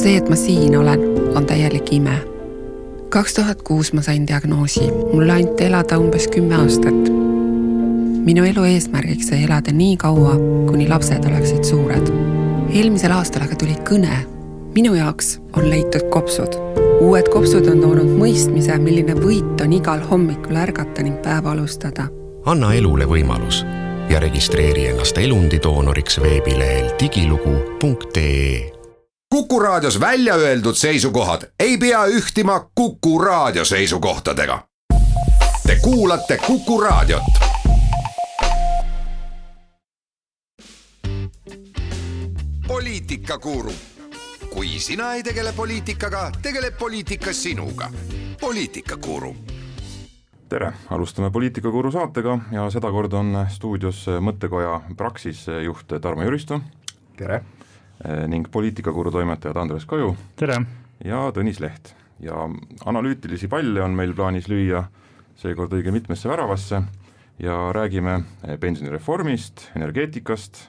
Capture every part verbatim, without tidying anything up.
See, et ma siin olen, on täielik ime. kaks tuhat kuus ma sain diagnoosi. Mulle anti elada umbes kümme aastat. Minu elu eesmärgiks sai elada nii kaua, kuni lapsed oleksid suured. Eelmisel aastal aga tuli kõne. Minu jaoks on leitud kopsud. Uued kopsud on toonud mõistmise, milline võit on igal hommikul ärgata ning päeva alustada. Anna elule võimalus ja registreeri ennast elundidoonoriks veebilehel digilugu punkt ee. Kuku Raadios välja öeldud seisukohad ei pea ühtima Kuku Raadio seisukohtadega. Te kuulate Kuku Raadiot. Poliitikakuru. Kui sina ei tegele poliitikaga, tegeleb poliitika sinuga. Poliitikakuru. Tere, alustame Poliitikakuru saatega ja seda kord on stuudios mõttekoja Praxis juht Tarmo Jüristo. Tere. Ning poliitikakuru toimetajad Andres Kaju. Tere. Ja Tõnis Leht. Ja analüütilisi palle on meil plaanis lüüa seekord õige mitmesse väravasse ja räägime pensionireformist, energeetikast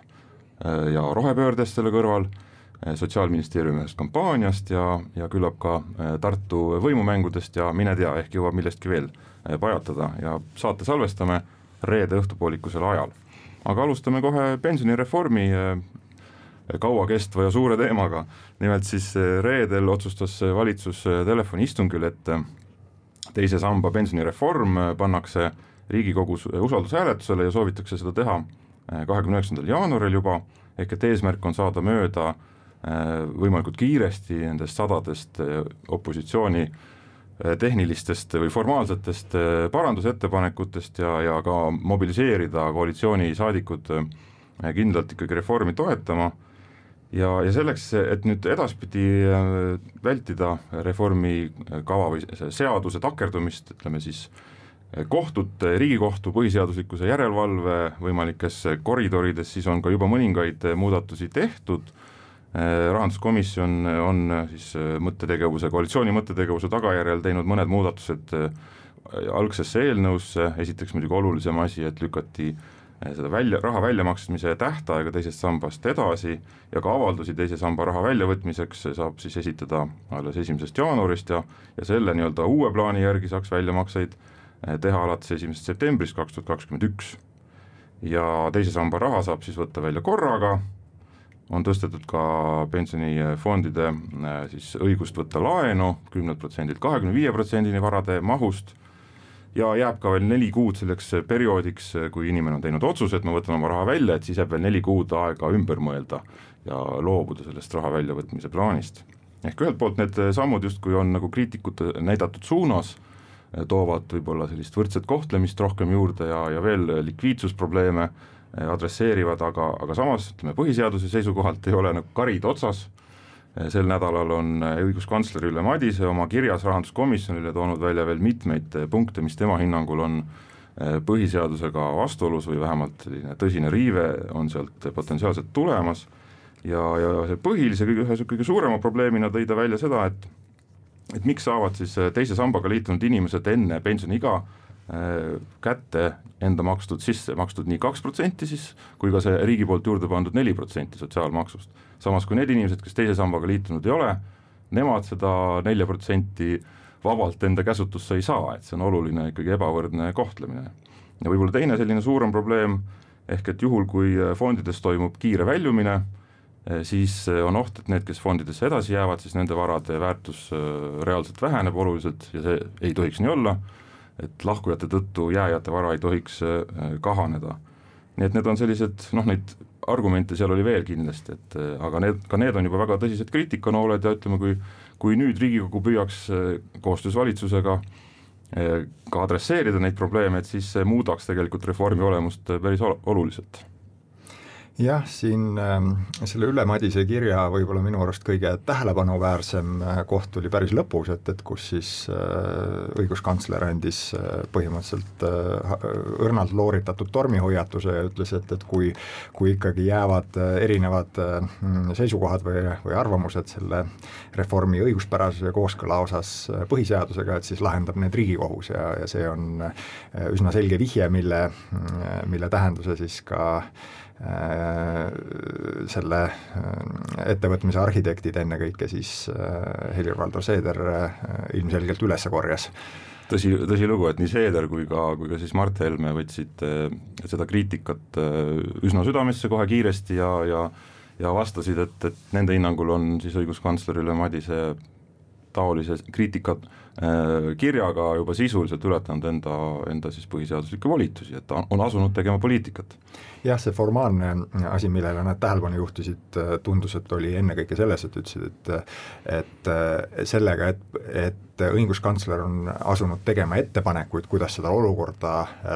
ja rohepöördest selle kõrval, Sotsiaalministeeriumi ühest kampaaniast ja, ja küllap ka Tartu võimumängudest ja mine tea, ehk jõuab millestki veel pajatada ja saate salvestame reede õhtupoolikusel ajal. Aga alustame kohe pensionireformi kaua kestva ja suure teemaga. Nimelt siis reedel otsustas valitsus telefoniistungil, et teise samba pensionireform pannakse Riigikogus usaldushääletusele ja soovitakse seda teha kahekümne üheksandal jaanuaril juba, ehk et eesmärk on saada mööda võimalikult kiiresti nendest sadadest opositsiooni tehnilistest või formaalsetest parandusettepanekutest ja, ja ka mobiliseerida koalitsiooni saadikud kindlalt ikkagi reformi toetama. Ja, ja selleks, et nüüd edaspidi vältida reformi kava või seaduse takerdumist, ütleme siis kohtute, Riigikohtu põhiseaduslikkuse järelevalve võimalikes koridorides, siis on ka juba mõningaid muudatusi tehtud. Rahanduskomisjon on siis mõttetegevuse, koalitsiooni mõttetegevuse tagajärjel teinud mõned muudatused algsesse eelnõusse. Esiteks muidugi olulisem asi, et lükati seda välja, raha väljamaksmise tähtaega teisest sambast edasi ja ka avaldusi teise samba raha väljavõtmiseks saab siis esitada alles esimesest jaanuarist ja, ja selle nii-öelda uue plaani järgi saaks väljamakseid teha alates esimesest septembrist kaks tuhat kakskümmend üks. Ja teise samba raha saab siis võtta välja korraga, on tõstetud ka pensionifondide siis õigust võtta laenu kümne protsendilt kahekümne viie protsendini varade mahust ja jääb ka veel neli kuud selleks perioodiks, kui inimene on teinud otsuse, et ma võtan oma raha välja, et siis jääb veel neli kuud aega ümber mõelda ja loobuda sellest raha väljavõtmise plaanist. Ehk ühelt poolt need sammud justkui on nagu kriitikute näidatud suunas, toovad võib-olla sellist võrdset kohtlemist rohkem juurde ja, ja veel likviidsusprobleeme adresseerivad, aga, aga samas ütleme, põhiseaduse seisukohalt ei ole nagu karid otsas. Sel nädalal on õiguskantsler Ülle Madise oma kirjas rahanduskomisjonile toonud välja veel mitmeid punkte, mis tema hinnangul on põhiseadusega vastuolus või vähemalt tõsine riive on sealt potentsiaalselt tulemas. Ja, ja see põhilise kõige, ühe kõige suurema probleemina tõi ta välja seda, et, et miks saavad siis teise sambaga liitunud inimesed enne pensioniiga kätte enda makstud sisse, makstud nii kaks protsenti siis, kui ka see riigi poolt juurde pandud neli protsenti sotsiaalmaksust. Samas kui need inimesed, kes teise sambaga liitunud ei ole, nemad seda neli protsenti vabalt enda käsutusse ei saa, et see on oluline ikkagi ebavõrdne kohtlemine. Ja võib-olla teine selline suurem probleem, ehk et juhul kui fondides toimub kiire väljumine, siis on oht, et need, kes fondidesse edasi jäävad, siis nende varade väärtus reaalselt väheneb oluliselt ja see ei tohiks nii olla, et lahkujate tõttu jääjate vara ei tohiks kahaneda. Nii et need on sellised, noh neid argumente seal oli veel kindlasti, et, aga need, ka need on juba väga tõsised kriitikanooled ja ütleme, kui, kui nüüd Riigikogu püüaks koostöös valitsusega ka adresseerida neid probleeme, et siis muudaks tegelikult reformi olemust päris oluliselt. Jah, siin äh, selle Ülle Madise kirja võib-olla minu arust kõige tähelepanuväärsem koht oli päris lõpus, et, et kus siis äh, õiguskantsler andis äh, põhimõtteliselt äh, õrnalt looritatud tormihoiatuse ja ütles, et, et kui, kui ikkagi jäävad äh, erinevad äh, seisukohad või, või arvamused selle reformi õiguspärasuse kooskõla osas äh, põhiseadusega, et siis lahendab need Riigikohus ja, ja see on äh, üsna selge vihje, mille, äh, mille tähenduse siis ka selle ettevõtmise arhitektid, ennekõike siis Helir-Valdor Seeder ilmselgelt üles korjas. Tõsi, tõsi lugu, et nii Seeder kui ka, kui ka siis Mart Helme võtsid seda kriitikat üsna südamesse kohe kiiresti ja, ja, ja vastasid, et, et nende hinnangul on siis õiguskantslerile Madise taolise kriitika kirjaga juba sisuliselt ületanud enda, enda siis põhiseaduslikke volitusi, et ta on asunud tegema poliitikat. Jah, see formaalne asi, millele nad tähelepanu juhtisid, tundus, et oli ennekõike selles, et ütlesid, et, et sellega, et, et õiguskantsler on asunud tegema ettepanekuid, kuidas seda olukorda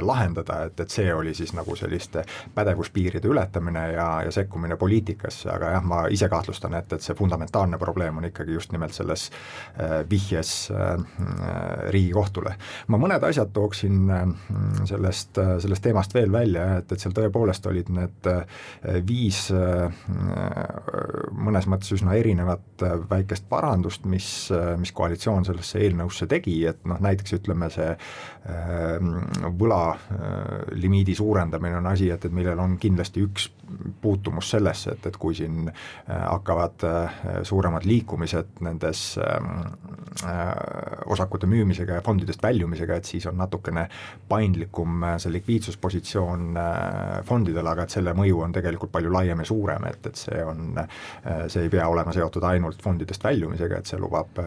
lahendada, et, et see oli siis nagu selliste pädevuspiiride ületamine ja, ja sekkumine poliitikasse, aga jah, ma ise kahtlustan, et, et see fundamentaalne probleem on ikkagi just nimelt selles vihjes Riigikohtule. Ma mõned asjad tooksin sellest, sellest teemast veel välja, et, et seal tõepoolest olid need viis mõnes mõttes üsna erinevat väikest parandust, mis, mis koalitsioon sellesse eelnõusse tegi, et noh, näiteks ütleme see võla limiidi suurendamine on asi, et, et millel on kindlasti üks puutumus sellesse, et, et kui siin hakkavad suuremad liikumised nendes osakute müümisega ja fondidest väljumisega, et siis on natukene paindlikum see likviidsuspositsioon fondidele, aga et selle mõju on tegelikult palju laiem ja suurem, et, et see on, see ei pea olema seotud ainult fondidest väljumisega, et see lubab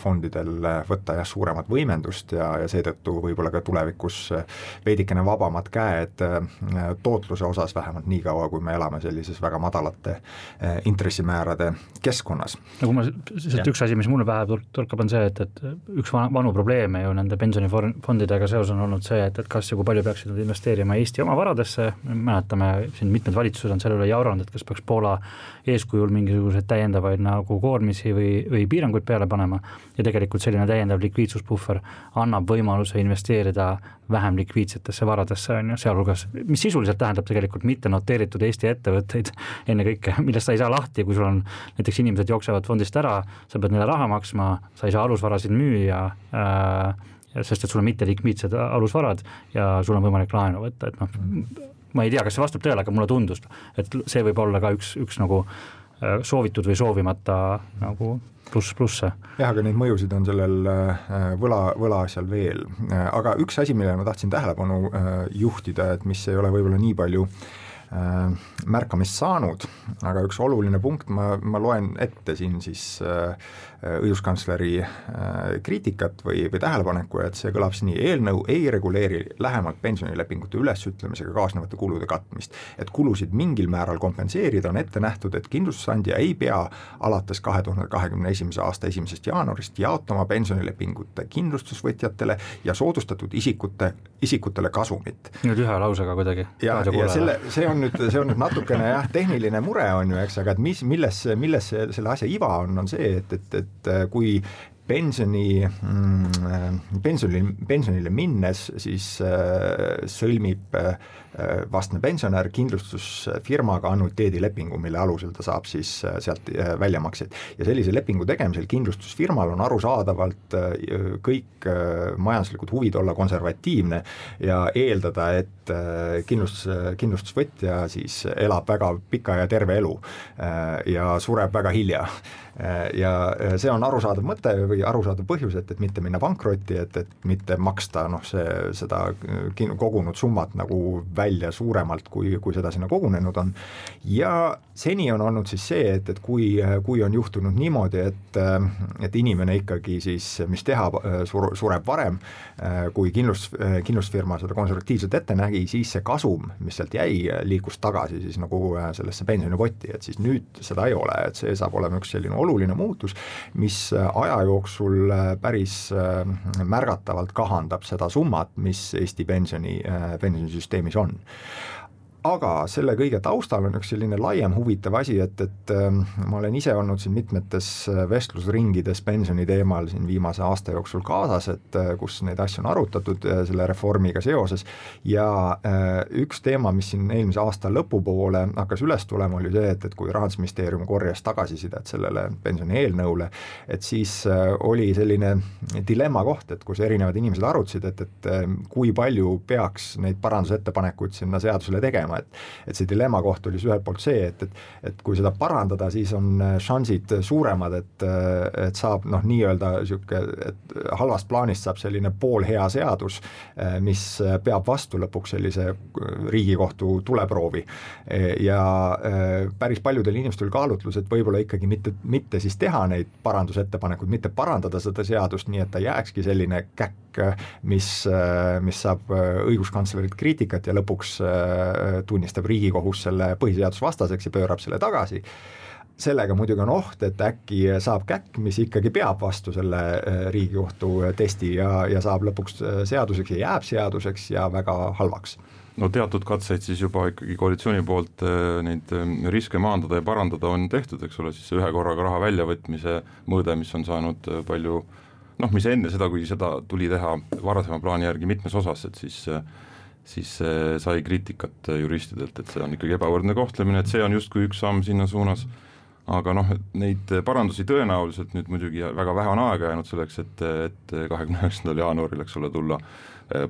fondidel võtta jah suuremat võimendust ja, ja seetõttu võib-olla ka tulevikus veidikene vabamad käed tootluse osas, vähemalt nii kaua, kui me elame sellises väga madalate intressimäärade keskkonnas. Nagu ma, sest üks asi, mis mulle pähe torkab, on see, et, et üks vanu probleeme ju nende pensionifondidega seos on olnud see, et, et kas ja kui palju peaksid nad investeerima Eesti oma varadesse, mäletame, siin mitmed valitsused on selle üle jauranud, et kas peaks Poola eeskujul mingisuguseid täiendavaid nagu koormisi või, või piiranguid peale panema ja tegelikult selline täiendav likviidsuspuhver annab võimaluse investeerida vähem likviidsetesse varadesse, on ju, sealhulgas, mis sisuliselt tähendab tegelikult mitte noteeritud Eesti ettevõtteid ennekõike, millest sa ei saa lahti, kui sul on näiteks inimesed jooksevad fondist ära, sa pead neile raha maksma, sa ei saa alusvarasid müüa, äh, sest et sul on mitte likviidsed alusvarad ja sul on võimalik laenu võtta, et noh, ma ei tea, kas see vastab tõele, aga mulle tundus, et see võib olla ka üks, üks nagu soovitud või soovimata nagu pluss plusse. Jah, aga neid mõjusid on sellel võla, võla asjal veel. Aga üks asi, millele ma tahtsin tähelepanu juhtida, et mis ei ole võib-olla nii palju märkamist saanud, aga üks oluline punkt, ma, ma loen ette siin siis õiguskantsleri kriitikat või, või tähelepaneku, et see kõlab nii, eelnõu ei reguleeri lähemalt pensionilepingute ülesütlemisega kaasnevate kulude katmist. Et kulusid mingil määral kompenseerida on ette nähtud, et kindlustusandja ei pea alates kahe tuhande kahekümne esimese aasta esimesest jaanuarist jaotama pensionilepingute kindlustusvõtjatele ja soodustatud isikute, isikutele kasumit. Nüüd ühe lausega kuidagi. Ja, ja selle, see on nüüd, see on nüüd natukene jah, tehniline mure on ju, eks, aga et mis, milles, milles selle asja iva on, on see, et, et, et kui pensioni, pensioni, pensionile minnes siis sõlmib vastne pensionär kindlustusfirmaga annuiteedilepingu, mille alusel ta saab siis sealt väljamakseid. Ja sellise lepingu tegemisel kindlustusfirmal on arusaadavalt kõik majanduslikud huvid olla konservatiivne ja eeldada, et kindlustus, kindlustusvõtja siis elab väga pika ja terve elu ja sureb väga hilja. Ja see on arusaadav mõte või arusaadav põhjus, et, et mitte minna pankrotti, et, et mitte maksta noh, see, seda kogunud summat nagu välja suuremalt, kui, kui seda sinna kogunenud on. Ja seni on olnud siis see, et, et kui, kui on juhtunud niimoodi, et, et inimene ikkagi siis, mis teha, sureb varem, kui kindlust, kindlustusfirma seda konservatiivselt ette nägi, siis see kasum, mis sealt jäi, liikus tagasi siis nagu sellesse pensionipotti, et siis nüüd seda ei ole, et see saab olema üks selline oluline muutus, mis aja jooksul päris märgatavalt kahandab seda summat, mis Eesti pensioni, pensionisüsteemis on. Aga selle kõige taustal on üks selline laiem huvitav asi, et, et ma olen ise olnud siin mitmetes vestlusringides pensioni teemal siin viimase aasta jooksul kaasas, et kus neid asju on arutatud selle reformiga seoses ja üks teema, mis siin eelmise aasta lõpupoole hakkas üles tulema, oli see, et, et kui Rahandusministeerium korjas tagasisidet sellele pensioni eelnõule, et siis oli selline dilemma koht, et kus erinevad inimesed arutasid, et, et kui palju peaks neid parandusettepanekuid sinna seadusele tegema, tegema, et et see dilemma koht oli ühelt poolt see, et, et, et kui seda parandada, siis on šansid suuremad, et, et saab noh, nii-öelda sihuke, et halvast plaanist saab selline poolhea seadus, mis peab vastu lõpuks sellise Riigikohtu tuleproovi ja päris paljudel inimestel kaalutlus, et võib-olla ikkagi mitte, mitte siis teha neid parandusettepanekuid, mitte parandada seda seadust nii, et ta jääkski selline käkk, mis, mis saab õiguskantslerilt kriitikat ja lõpuks tunnistab Riigikohus selle põhiseadusvastaseks ja pöörab selle tagasi. Sellega muidugi on oht, et äkki saab käkk, mis ikkagi peab vastu selle Riigikohtu testi ja, ja saab lõpuks seaduseks ja jääb seaduseks ja väga halvaks. No teatud katseid siis juba ikkagi koalitsiooni poolt neid riske maandada ja parandada on tehtud, eks ole, siis ühe korraga raha väljavõtmise mõõde, mis on saanud palju, noh, mis enne seda, kui seda tuli teha varasema plaani järgi mitmes osas, et siis siis sai kriitikat juristidelt, et see on ikkagi ebavõrdne kohtlemine, et see on justkui üks samm sinna suunas, aga noh, neid parandusi tõenäoliselt nüüd muidugi väga vähe on aega jäänud selleks, et, et kahekümne üheksandal jaanuaril, eks ole, tulla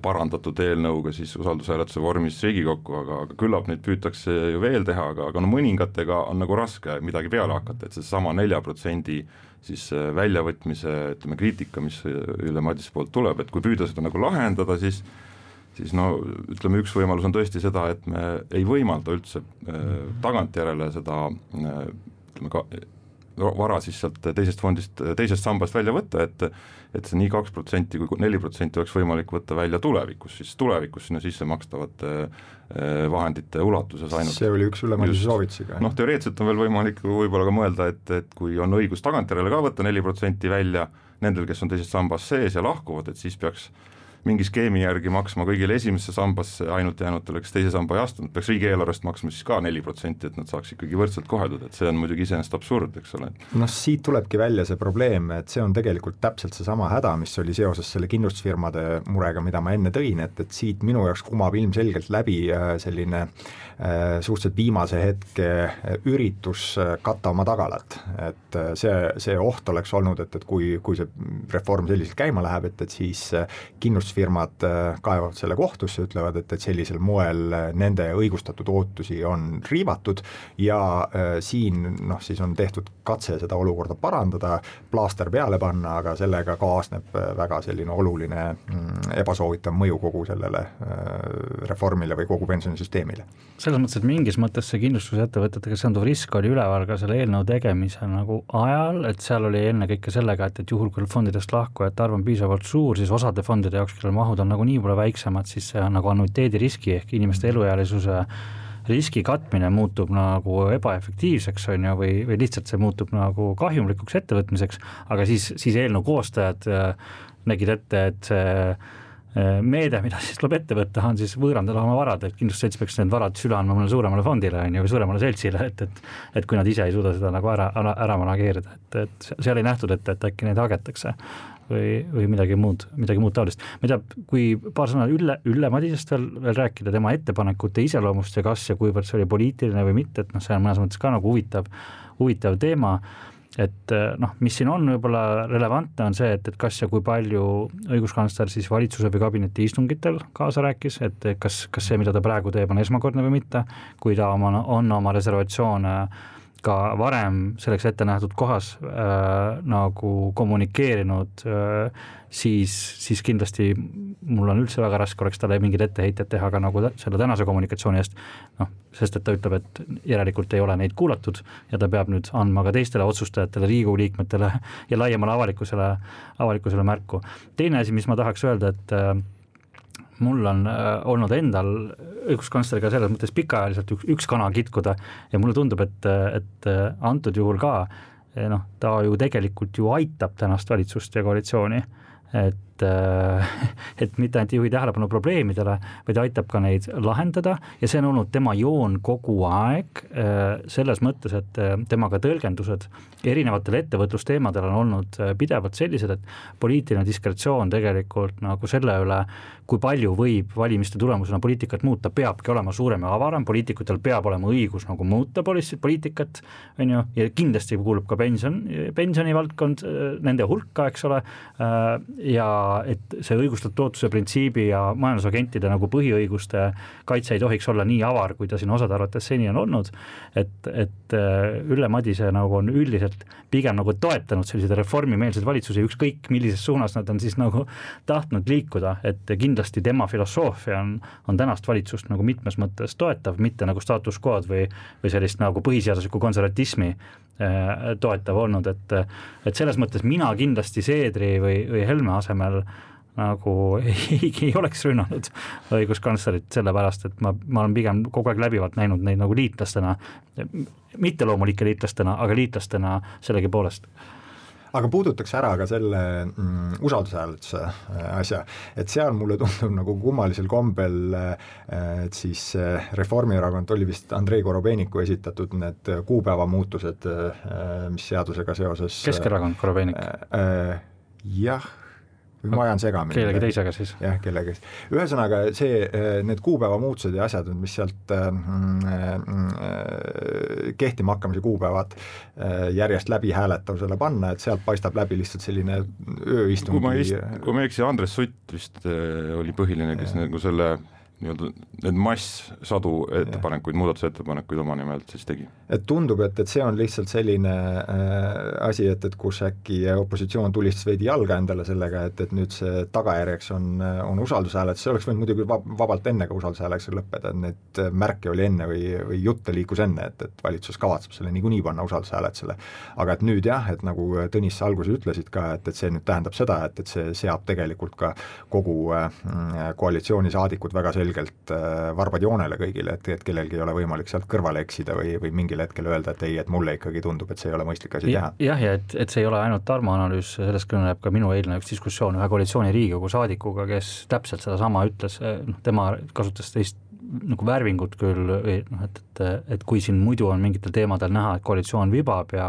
parandatud eelnõuga siis usaldushääletuse vormis Riigikokku, aga, aga küllap neid püütakse ju veel teha, aga, aga no mõningatega on nagu raske midagi peale hakata, et see sama nelja protsendi siis väljavõtmise, ütleme, kriitika, mis Ülle Madise poolt tuleb, et kui püüda seda nagu lahendada, siis siis no ütleme, üks võimalus on tõesti seda, et me ei võimalda üldse äh, tagantjärele seda äh, ütleme ka vara siis sealt teisest fondist, teisest sambast välja võtta, et et see nii kaks protsenti kui neli protsenti oleks võimalik võtta välja tulevikus, siis tulevikus sinna sisse makstavate vahendite ulatuses ainult. See oli üks Ülle Madise soovitusiga. Noh, teoreetselt on veel võimalik võib-olla ka mõelda, et, et kui on õigus tagantjärele ka võtta neli protsenti välja nendel, kes on teisest sambas sees ja lahkuvad, et siis peaks mingi skeemi järgi maksma kõigile esimesse sambasse ainult jäänutele, kes teise samba ei astunud, peaks riigieelarvest maksma siis ka neli protsenti, et nad saaks ikkagi võrdselt koheldud, et see on muidugi iseenesest absurd, eks ole. Noh, siit tulebki välja see probleem, et see on tegelikult täpselt see sama häda, mis oli seoses selle kindlustusfirmade murega, mida ma enne tõin, et, et siit minu jaoks kumab ilmselgelt läbi selline äh, suhteliselt viimase hetke üritus katta oma tagalat, et see, see oht oleks olnud, et, et kui, kui see reform selliselt käima läheb, et, et siis kindlustusfirmad firmad kaevavad selle kohtusse, ütlevad, et, et sellisel moel nende õigustatud ootusi on riivatud ja äh, siin noh, siis on tehtud katse seda olukorda parandada, plaaster peale panna, aga sellega kaasneb väga selline oluline mm, ebasoovitav mõju kogu sellele äh, reformile või kogu pensionisüsteemile. Selles mõttes, et mingis mõttes see kindlustusettevõtetega seonduv risk oli üleval ka selle eelnõu tegemisel nagu ajal, et seal oli ennekõike sellega, et, et juhul kui fondidest lahkujate arv on piisavalt suur, siis osade fondide jaoks mahud on nagu nii palju väiksemad, siis see on nagu annuiteedi riski ehk inimeste eluealisuse riski katmine muutub nagu ebaefektiivseks on ju, või, või lihtsalt see muutub nagu kahjumlikuks ettevõtmiseks, aga siis, siis eelnõu koostajad nägid ette, et see meede, mida siis tuleb ette võtta, on siis võõrandada oma varad, et kindlustusselts peaks need varad üle andma mõnele suuremale fondile on ju, või suuremale seltsile, et, et, et kui nad ise ei suuda seda nagu ära, ära, ära manageerida, et, et seal ei nähtud ette, et äkki neid hagetakse või, või midagi muud, midagi muud taolist. Ma ei tea, kui paar sõna Ülle, Ülle Madisest veel, veel rääkida tema ettepanekute iseloomust ja kas ja kuivõrd see oli poliitiline või mitte, et noh, see on mõnes mõttes ka nagu huvitav, huvitav teema, et noh, mis siin on võib-olla relevantne on see, et, et kas ja kui palju õiguskantsler siis valitsuse või kabineti istungitel kaasa rääkis, et kas, kas see, mida ta praegu teeb, on esmakordne või mitte, kui ta oma, on oma reservatsioone ka varem selleks ette nähtud kohas äh, nagu kommunikeerinud, äh, siis, siis kindlasti mul on üldse väga raske oleks talle mingid etteheited teha ka nagu selle tänase kommunikatsiooni eest, noh, sest et ta ütleb, et järelikult ei ole neid kuulatud ja ta peab nüüd andma ka teistele otsustajatele, Riigikogu liikmetele ja laiemale avalikkusele, avalikkusele märku. Teine asi, mis ma tahaks öelda, et äh, mul on äh, olnud endal õiguskantsleriga selles mõttes pikaajaliselt üks, üks kana kitkuda ja mulle tundub, et, et antud juhul ka noh, ta ju tegelikult ju aitab tänast valitsust ja koalitsiooni, et, et mitte ainult ei juhi tähelepanu probleemidele, vaid aitab ka neid lahendada ja see on olnud tema joon kogu aeg selles mõttes, et temaga tõlgendused erinevatel ettevõtlusteemadel on olnud pidevalt sellised, et poliitiline diskretsioon tegelikult nagu selle üle, kui palju võib valimiste tulemusena poliitikat muuta, peabki olema suurem ja avaram, poliitikutel peab olema õigus nagu muuta poliitikat, on ju, ja kindlasti kuulub ka pension, pensionivaldkond nende hulka, eks ole, ja et see õigustatud ootuse printsiibi ja majandusagentide nagu põhiõiguste kaitse ei tohiks olla nii avar, kui ta siin osade arvates seni on olnud, et, et Ülle Madise nagu on üldiselt pigem nagu toetanud selliseid reformimeelseid valitsusi, ükskõik millises suunas nad on siis nagu tahtnud liikuda, et kindlasti tema filosoofia on, on tänast valitsust nagu mitmes mõttes toetav, mitte nagu status quo'd või, või sellist nagu põhiseaduslikku konservatismi toetav olnud, et, et selles mõttes mina kindlasti Seedri või, või Helme asemel nagu ei, ei oleks rünnanud õiguskantslerit sellepärast, et ma, ma olen pigem kogu aeg läbivalt näinud neid nagu liitlastena, mitte loomulike liitlastena, aga liitlastena sellegi poolest. Aga puudutaks ära ka selle mm, usaldusääletuse asja, et seal mulle tundub nagu kummalisel kombel, et siis Reformierakond oli vist Andrei Korobeiniku esitatud need kuupäeva muutused, mis seadusega seoses Keskerakond Korobeinik äh, jah, ma ajan segamini. Kellegi teisega siis. Jah, kellegi. Ühesõnaga, see, need kuupäeva muutused ja asjad, mis sealt kehtima hakkamise kuupäevad järjest läbi hääletavusele panna, et sealt paistab läbi lihtsalt selline ööistungi. Kui ma, ist, kui ma eksi, Andres Sutt vist oli põhiline, kes ja. nagu selle nii-öelda need mass sadu ettepanekuid, muudatusettepanekuid oma nimelt siis tegi. Et tundub, et, et see on lihtsalt selline äh, asi, et, et kus äkki opositsioon tulistas veidi jalga endale sellega, et, et nüüd see tagajärjeks on, on usaldushääletus, see oleks võinud muidugi vabalt enne ka usaldushääletusega lõppeda, et need märke oli enne või, või jutte liikus enne, et, et valitsus kavatseb selle niikuinii panna usaldushääletusele. Aga et nüüd jah, et nagu Tõnis sa alguses ütlesid ka, et, et see nüüd tähendab seda, et, et see seab tegelikult ka kogu äh, koalitsioonisaadikud väga selgelt varbad joonele kõigile, et, et kellelgi ei ole võimalik sealt kõrvale eksida või, või mingil hetkel öelda, et ei, et mulle ikkagi tundub, et see ei ole mõistlik asi teha. Jah, ja et, et see ei ole ainult Tarmo analüüs, sellest kõneleb ka minu eilne üks diskussioon ühe koalitsiooni Riigikogu saadikuga, kes täpselt seda sama ütles, noh, tema kasutas teist nagu värvingut küll, või, noh, et, et, et kui siin muidu on mingitel teemadel näha, et koalitsioon vibab ja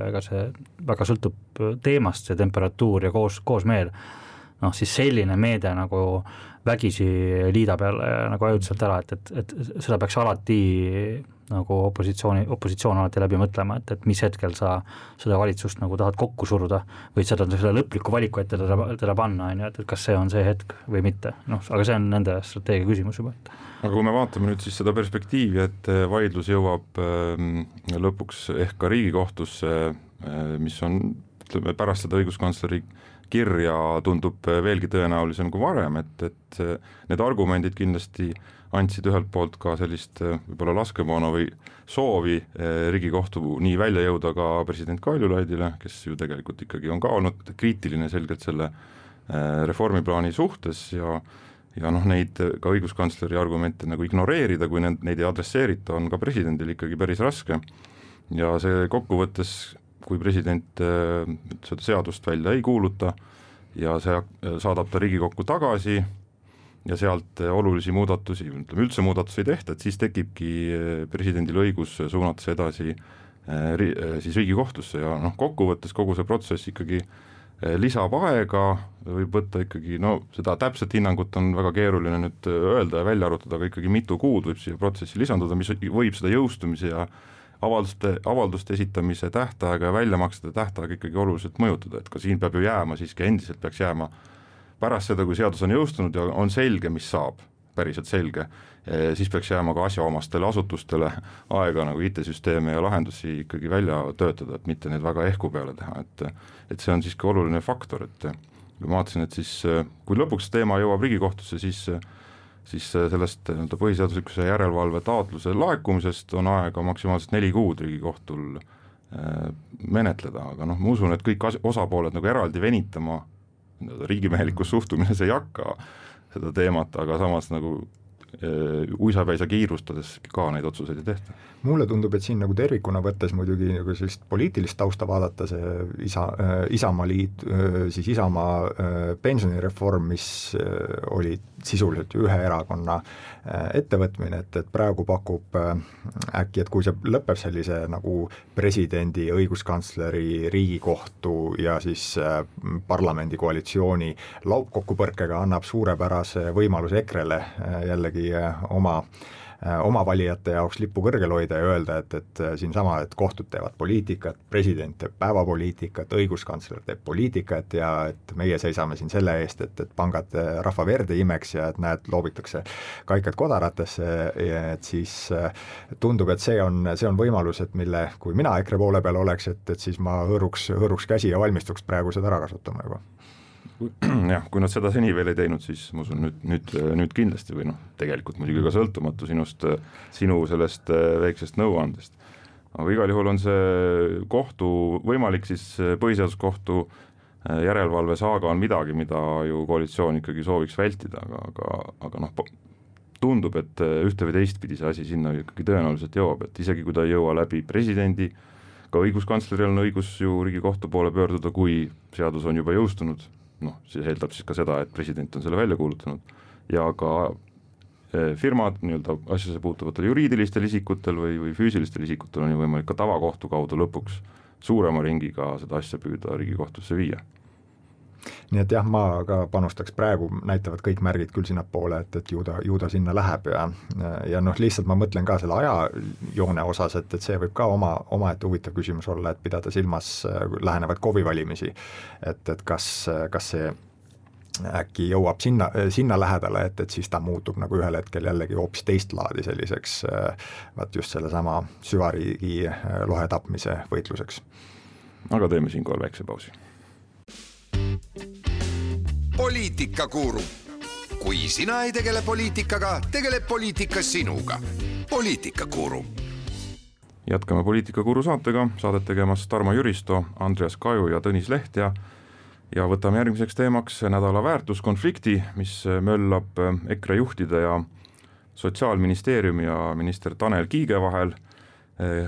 ega see väga sõltub teemast, see temperatuur ja koos, koosmeel, noh siis selline meede nagu vägisi liida peale nagu ajutiselt ära, et, et, et seda peaks alati nagu opositsiooni, opositsioon alati läbi mõtlema, et, et mis hetkel sa seda valitsust nagu tahad kokku suruda või seda, seda lõplikku valiku ette teda, teda panna, et kas see on see hetk või mitte, noh, aga see on nende strateegia küsimus juba. Aga kui me vaatame nüüd siis seda perspektiivi, et vaidlus jõuab lõpuks ehk ka Riigikohtusse, mis on ütleme, pärast seda õiguskantsleri kirja tundub veelgi tõenäolisem kui varem, et, et need argumendid kindlasti andsid ühelt poolt ka sellist võib-olla laskemoona või soovi Riigikohtu nii välja jõuda ka president Kaljulaidile, kes ju tegelikult ikkagi on ka olnud kriitiline selgelt selle reformiplaani suhtes ja, ja noh, neid ka õiguskantsleri argumente nagu ignoreerida, kui neid, neid ei adresseerita, on ka presidendil ikkagi päris raske ja see kokkuvõttes kui president seda seadust välja ei kuuluta ja see saadab ta Riigikokku tagasi ja sealt olulisi muudatusi, ütleme üldse muudatusi ei tehta, et siis tekibki presidendil õigus suunata see edasi siis Riigikohtusse ja noh, kokkuvõttes kogu see protsess ikkagi lisab aega, võib võtta ikkagi, no seda täpset hinnangut on väga keeruline nüüd öelda ja välja arutada, aga ikkagi mitu kuud võib siia protsessi lisanduda, mis võib seda jõustumise ja avalduste, avalduste esitamise tähtaega ja väljamaksete tähtaega ikkagi oluliselt mõjutada, et ka siin peab ju jääma, siiski endiselt peaks jääma pärast seda, kui seadus on jõustunud ja on selge, mis saab, päriselt selge, siis peaks jääma ka asjaomastele asutustele aega nagu I T-süsteeme ja lahendusi ikkagi välja töötada, et mitte need väga ehku peale teha, et, et see on siiski oluline faktor, et ma vaatasin, et siis kui lõpuks teema jõuab Riigikohtusse, siis siis sellest põhiseaduslikkuse järelevalve taotluse laekumisest on aega maksimaalselt neli kuud Riigikohtul menetleda, aga noh, ma usun, et kõik osapooled nagu eraldi venitama riigimehelikus suhtumises ei hakka seda teemat, aga samas nagu uisapäisa kiirustades ka neid otsuseid ei tehta. Mulle tundub, et siin nagu tervikuna võttes muidugi nagu sellist poliitilist tausta vaadata, see isa, Isamaa liit, siis Isamaa pensionireform, mis oli sisuliselt ühe erakonna ettevõtmine, et, et praegu pakub äkki, et kui see lõpeb sellise nagu presidendi, õiguskantsleri, Riigikohtu ja siis parlamendi koalitsiooni laupkokkupõrkega annab suurepärase võimaluse EKREle jällegi oma oma valijate jaoks lippu kõrgel hoida ja öelda, et, et siinsama, et kohtud teevad poliitikat, president teeb päevapoliitikat, õiguskantsler teeb poliitikat ja et meie seisame siin selle eest, et, et pangad rahva verd ei imeks ja et näed, loobitakse kaikad kodaratesse, et siis tundub, et see on, see on võimalus, et mille, kui mina EKRE poole peal oleks, et, et siis ma hõõruks, hõõruks käsi ja valmistuks praegu seda ära kasutama juba. Jah, kui nad seda seni veel ei teinud, siis ma usun nüüd, nüüd, nüüd kindlasti või noh, tegelikult muidugi ka sõltumatu sinust, sinu sellest väiksest nõuandest. Aga igal juhul on see kohtu, võimalik siis põhiseaduskohtu järelevalve saaga on midagi, mida ju koalitsioon ikkagi sooviks vältida, aga, aga, aga noh, tundub, et ühte või teistpidi see asi sinna ikkagi tõenäoliselt jõuab, et isegi kui ta ei jõua läbi presidendi, ka õiguskantsleril on õigus ju Riigikohtu poole pöörduda, kui seadus on juba jõustunud, noh, see eeldab siis ka seda, et president on selle välja kuulutanud ja ka firmad nii-öelda asjasse puutuvatel juriidilistel isikutel või, või füüsilistel isikutel on ju võimalik ka tavakohtu kaudu lõpuks suurema ringiga seda asja püüda Riigikohtusse viia. Nii et jah, ma ka panustaks praegu, näitavad kõik märgid küll sinna poole, et, et ju ta, ju ta sinna läheb ja, ja noh, lihtsalt ma mõtlen ka selle ajajoone osas, et, et see võib ka oma, oma et huvitav küsimus olla, et pidada silmas lähenevad KOV-i valimisi, et, et kas, kas see äkki jõuab sinna, sinna lähedale, et, et siis ta muutub nagu ühel hetkel jällegi hoopis teist laadi selliseks vaat just selle sama süvariigi lohe tapmise võitluseks. Aga teeme siinkohal väikse pausi. Poliitikakuru. Kui sina ei tegele poliitikaga, tegeleb poliitika sinuga. Poliitikakuru. Jätkame Poliitikakuru saatega, saadet tegemas Tarmo Jüristo, Andreas Kaju ja Tõnis Leht ja, ja võtame järgmiseks teemaks nädala väärtuskonflikti, mis möllab EKRE juhtide ja Sotsiaalministeeriumi ja minister Tanel Kiige vahel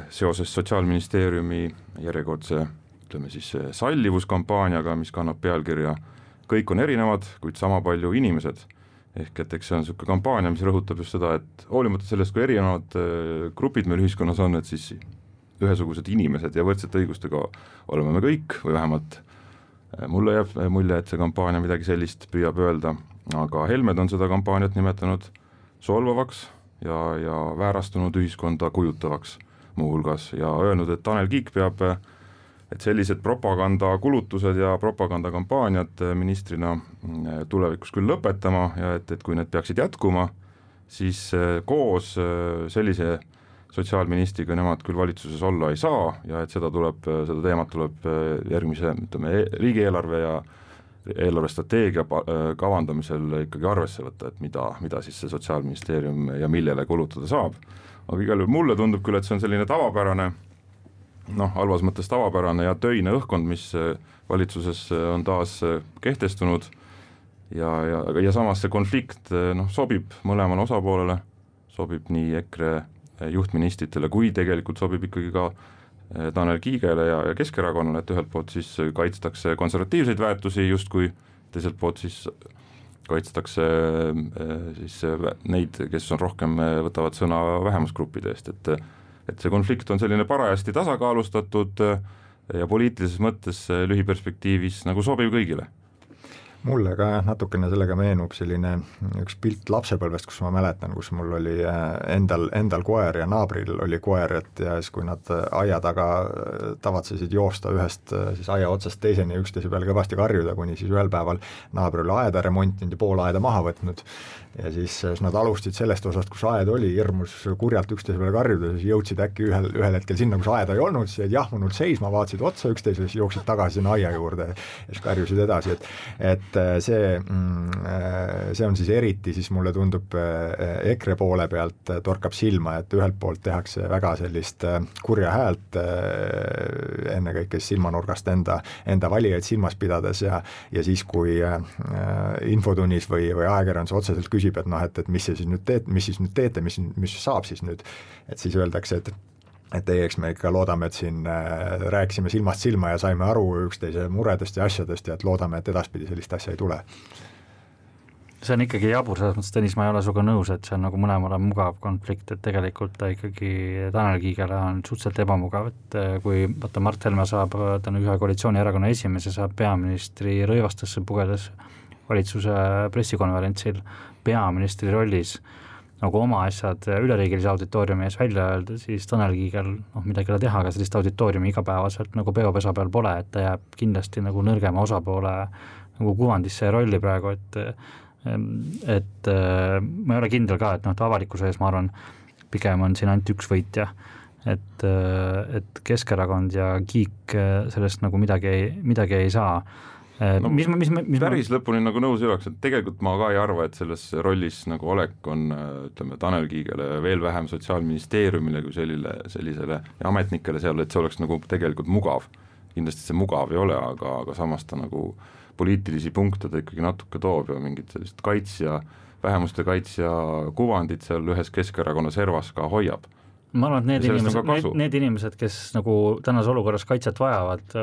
seoses Sotsiaalministeeriumi järjekordse ütleme siis sallivuskampaaniaga, mis kannab pealkirja kõik on erinevad, kuid sama palju inimesed. Ehk et eks see on selline kampaania, mis rõhutab just seda, et hoolimata sellest, kui erinevad grupid meil ühiskonnas on, et siis ühesugused inimesed ja võrdsete õigustega oleme me kõik, või vähemalt mulle jääb mulje, et see kampaania midagi sellist püüab öelda, aga Helmed on seda kampaaniat nimetanud solvavaks ja, ja väärastunud ühiskonda kujutavaks muuhulgas ja öelnud, et Tanel Kiik peab et sellised propagandakulutused ja propagandakampaaniad ministrina tulevikus küll lõpetama ja et, et kui need peaksid jätkuma, siis koos sellise sotsiaalministriga nemad küll valitsuses olla ei saa ja et seda tuleb, seda teemat tuleb järgmise ütleme, riigieelarve ja eelarvestrateegia kavandamisel ikkagi arvesse võtta, et mida, mida siis see Sotsiaalministeerium ja millele kulutada saab. Aga igal juhul mulle tundub küll, et see on selline tavapärane noh, halvas mõttes tavapärane ja töine õhkkond, mis valitsuses on taas kehtestunud ja, ja, ja samas see konflikt noh, sobib mõlemale osapoolele, sobib nii EKRE juhtministritele, kui tegelikult sobib ikkagi ka Tanel Kiigele ja, ja Keskerakonnale, et ühelt poolt siis kaitstakse konservatiivseid väärtusi justkui, teiselt poolt siis kaitstakse siis neid, kes on rohkem, võtavad sõna vähemusgruppide eest, et et see konflikt on selline parajasti tasakaalustatud ja poliitilises mõttes lühiperspektiivis nagu sobiv kõigile. Mulle ka natukene sellega meenub selline üks pilt lapsepõlvest, kus ma mäletan, kus mul oli endal, endal koer ja naabril oli koer, et ja siis kui nad aia taga tavatsesid joosta ühest siis aia otsast teiseni üksteise peale kõvasti karjuda, kuni siis ühel päeval naabri oli aeda remontinud ja pool aeda maha võtnud ja siis nad alustasid sellest osast, kus aed oli, hirmus kurjalt üksteise peale karjuda, siis jõudsid äkki ühel, ühel hetkel sinna, kus aeda ei olnud, siis jäid jahmunud seisma, vaatasid otsa üksteise, siis jooksid tagasi sinna aia juurde ja siis karjusid edasi, et, et see, see on siis eriti, siis mulle tundub EKRE poole pealt torkab silma, et ühelt poolt tehakse väga sellist kurja häält ennekõike silmanurgast enda, enda valijaid silmas pidades ja, ja siis, kui infotunnis või, või ajakirjandus otseselt küsib, et noh, et, et mis see siis nüüd teed, mis siis nüüd teete, mis, mis saab siis nüüd, et siis öeldakse, et et ei, eks me ikka loodame, et siin rääkisime silmast silma ja saime aru üksteise muredest ja asjadest ja et loodame, et edaspidi sellist asja ei tule. See on ikkagi jabur, selles mõttes, Tõnis, ma ei ole suga nõus, et see on nagu mõlemale mugav konflikt, et tegelikult ta ikkagi Tanel Kiigele on suhteliselt ebamugav, et kui vaata Mart Helme saab, ta on ühe koalitsioonierakonna esimees ja saab peaministri rõivastesse pugedes valitsuse pressikonverentsil peaministri rollis nagu oma asjad üleriigilise auditooriumi ees välja öelda, siis Tanel Kiigel noh, midagi ei teha, aga sellist auditooriumi igapäevaselt nagu peopesa peal pole, et ta jääb kindlasti nagu nõrgema osapoole nagu kuvandisse ja rolli praegu, et et ma ei ole kindel ka, et noh, et avalikkuse ees ma arvan, pigem on siin ainult üks võitja, et, et Keskerakond ja Kiik sellest nagu midagi ei, midagi ei saa. No, mis, mis, mis päris ma... lõpuni nagu nõus ei oleks, et tegelikult ma ka ei arva, et selles rollis nagu olek on, ütleme, Tanel Kiigele veel vähem Sotsiaalministeeriumile kui sellile, sellisele ja ametnikele seal, et see oleks nagu tegelikult mugav. Kindlasti see mugav ei ole, aga, aga samas ta nagu poliitilisi punkte ta ikkagi natuke toob ja mingid sellist kaitsja, vähemuste kaitsja kuvandid seal ühes Keskerakonna servas ka hoiab. Ma arvan, et need inimesed, need, need inimesed, kes nagu tänas olukorras kaitset vajavad,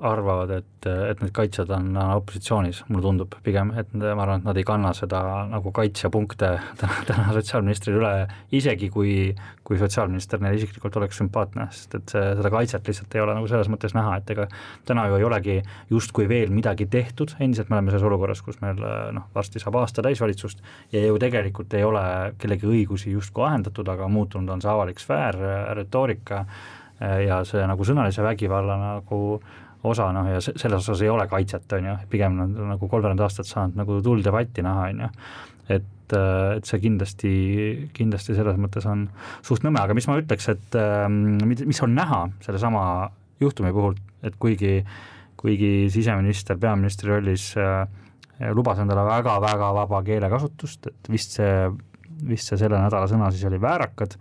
arvavad, et, et need kaitsjad on opositsioonis, mulle tundub pigem, et ma arvan, et nad ei kanna seda nagu kaitsjapunkte täna, täna sotsiaalministril üle, isegi kui, kui sotsiaalminister neil isiklikult oleks sümpaatne, sest et see, seda kaitset lihtsalt ei ole nagu selles mõttes näha, et ega täna ju ei olegi justkui veel midagi tehtud, endiselt me oleme selles olukorras, kus meil noh, varsti saab aasta täisvalitsust ja ju tegelikult ei ole kellegi õigusi justkui ahendatud, aga muutunud on see avalik sfäär, retoorika ja see nagu sõnalise vägivalla nagu osa, noh ja selles osas ei ole kaitset, on ju, pigem on nagu kolmveerand aastat saanud nagu tull debatti näha, on ju, et, et see kindlasti, kindlasti selles mõttes on suht nõme, aga mis ma ütleks, et mis on näha selle sama juhtumi puhul, et kuigi, kuigi siseminister peaministri rollis lubas endale väga-väga vaba keelekasutust, et vist see, vist see selle nädala sõna siis oli väärakad,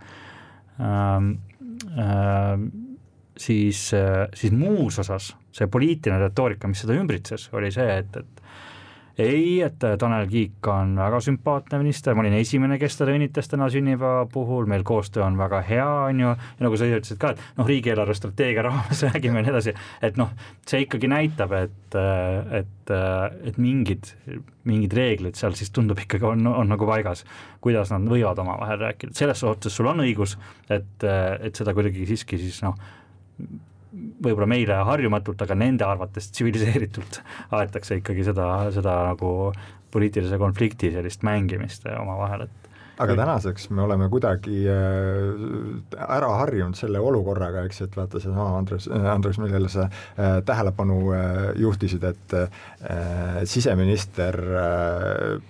Ähm, ähm, siis, siis muus osas see poliitiline retoorika, mis seda ümbritses, oli see, et, et ei, et Tanel Kiik on väga sümpaatne minister, ma olin esimene, kes teda õnnitas täna sünnipäeva puhul, meil koostöö on väga hea, on ju, ja nagu sa ütlesid ka, et noh, riigieelarve strateegia raames räägime nii edasi, et noh, see ikkagi näitab, et, et, et mingid, mingid reeglid seal siis tundub ikkagi on, on nagu paigas, kuidas nad võivad oma vahel rääkida, selles suhtes sul on õigus, et, et seda kuidagi siiski siis noh, võib-olla meile harjumatult, aga nende arvates tsiviliseeritult aetakse ikkagi seda, seda nagu poliitilise konflikti sellist mängimist oma vahel, et aga tänaseks me oleme kuidagi ära harjunud selle olukorraga, eks, et vaata see sama Andres, Andres, millele sa tähelepanu juhtisid, et siseminister